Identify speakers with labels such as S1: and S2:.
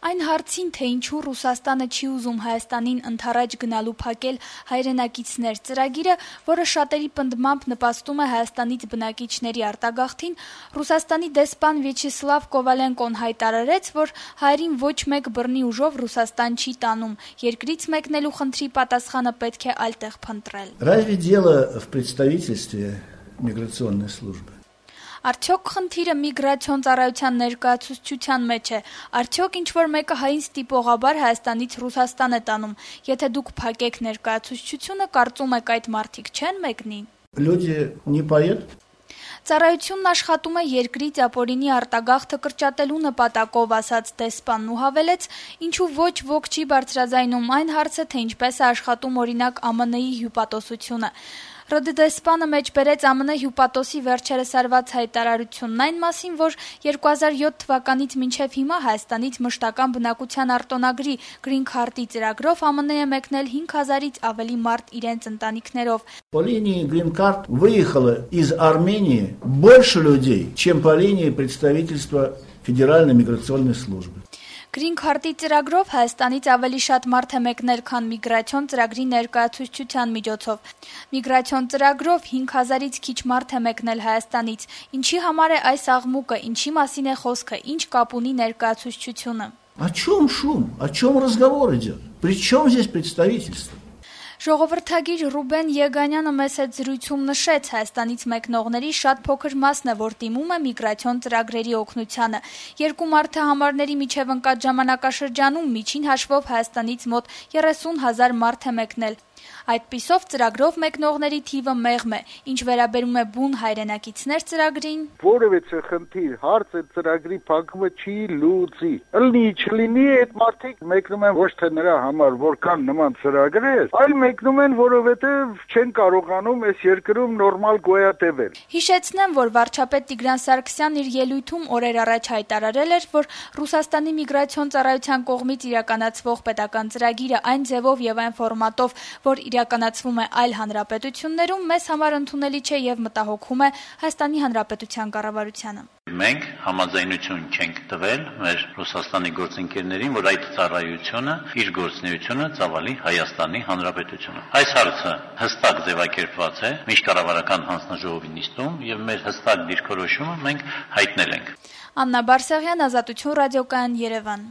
S1: Այն հարցին, թե ինչու Ռուսաստանը չի ուզում Հայաստանին ընդառաջ գնալու փակել հայրենակիցներ ծրագիրը, որը շատերի պնդմամբ նպաստում է Հայաստանից բնակիչների արտագաղթին, Ռուսաստանի դեսպան Վյաչեսլավ Կովալենկոն հայտարարեց, որ հայերին ոչ մեկ բռնի ուժով Ռուսաստան չի տանում, երկրից մեկնելու խնդրի պատասխանը պետք է այլտեղ փնտրել։
S2: Разве дело в представительстве миграционной службы?
S1: Արդյոք խնդիրը միգրացիոն ծառայության ներկայացուցչության մեջ է, արդյոք ինչ-որ մեկը հային ստիպողաբար Հայաստանից Ռուսաստան է տանում, եթե դուք փակեք ներկայացուցչությունը, կարծում եք այդ մարդիկ չեն մեկնի։
S2: Люди не поедут?
S1: Ծառայությունն աշխատում է երկրից ապօրինի արտագաղթը կրճատելու նպատակով, ասաց դեսպանն ու հավելեց, ինչու ոչ ոք չի բարձրաձայնում այն հարցը, թե ինչպես է աշխատում օրինակ ԱՄՆ-ի հյուպատոսությունը։ ՌԴ դեսպանը մեջբերեց ԱՄՆ հյուպատոսի վերջերս արված հայտարարությունն այն մասին, որ 2007 թվականից մինչև հիմա Հայաստանից մշտական բնակության արտոնագրի Green Card-ի ծրագրով ԱՄՆ է մեկնել 5000-ից ավելի մարդ իրենց ընտանիքներով։
S2: По линии Green Card выехало из Армении больше людей, чем по линии представительства Федеральной миграционной службы.
S1: Green Card-ի ծրագրով Հայաստանից ավելի շատ մարդ է մեկնել, քան միգրացիոն ծրագրի ներկայացուցչության միջոցով։ Միգրացիոն ծրագրով 5000-ից քիչ մարդ է մեկնել Հայաստանից։ Ինչի համար է այս աղմուկը, ինչի մասին է խոսքը, ինչ կապ ունի ներկայացուցչությունը։
S2: О чем шум? О чем разговор идет? При чем здесь представительство?
S1: Ժողովրդագիր Ռուբեն Եգանյանը մեծ հետ զրույցում նշեց, Հայաստանից մեկնողների շատ փոքր մասն է, որ դիմում է միգրացիոն ծրագրերի օգնությանը։ Երկու մարդահամարների միջև ընկած ժամանակաշրջանում միջին հաշվով Հայաստանից մոտ 30,000 մարդ է մեկնել։ Այդպիսով ծրագրով մեկնողների թիվը մեղմ է, ինչ վերաբերում է բուն հայրենակիցներ ծրագրին։
S3: Որևէ խնդիր, հարց է ծրագրի փակումը չի լուծի։ Ըլնի չլինի այդ մարդիկ մեկնում են ոչ թե նրա համար, որքան նման ծրագրեր, այլ մեկնում են, որովհետև չեն կարողանում այս երկրում նորմալ գոյատևել։
S1: Հիշեցնեմ, որ վարչապետ Տիգրան Սարգսյանն իր ելույթում օրեր առաջ հայտարարել էր, որ Ռուսաստանի միգրացիոն ծառայության կողմից իրականացվող պետական ծրագիրը այն ձևով եւ այն ֆորմատով, որ իրականացվում է այլ հանրապետություններում, մեզ համար ընդունելի չէ եւ մտահոգում է Հայաստանի Հանրապետության կառավարությանը։
S4: Մենք համաձայնություն չենք տվել մեր Ռուսաստանի գործընկերներին, որ այդ ծառայությունը իր գործունեությունը ծավալի Հայաստանի Հանրապետությունը։ Այս հարցը հստակ ձևակերպված է միջկառավարական հանձնաժողովի նիստում եւ մեր հստակ դիրքորոշումը մենք հայտնել ենք։
S1: Աննա Բարսեղյան, Ազատություն ռադիոկայան, Երևան։